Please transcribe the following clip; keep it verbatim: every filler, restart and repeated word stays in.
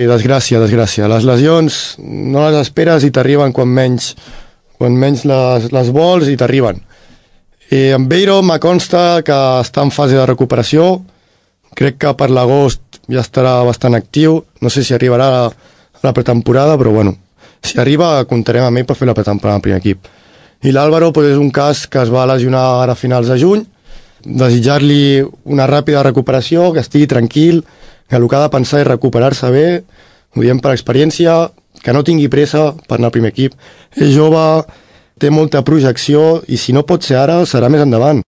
I desgràcia, desgràcia. Les lesions no les esperes i t'arriben quan menys, quan menys les, les vols i t'arriben. I amb Beiro me consta que està en fase de recuperació. Crec que per l'agost ja estarà bastant actiu. No sé si arribarà a la, a la pretemporada, però bueno, si arriba comptarem amb ell per fer la pretemporada al primer equip. I l'Àlvaro pues, és un cas que es va lesionar ara a finals de juny. Desitjar-li una ràpida recuperació, que estigui tranquil, que el que ha de pensar és recuperar-se bé, ho diem per experiència, que no tingui pressa per anar al primer equip. És jove, té molta projecció i si no pot ser ara, serà més endavant.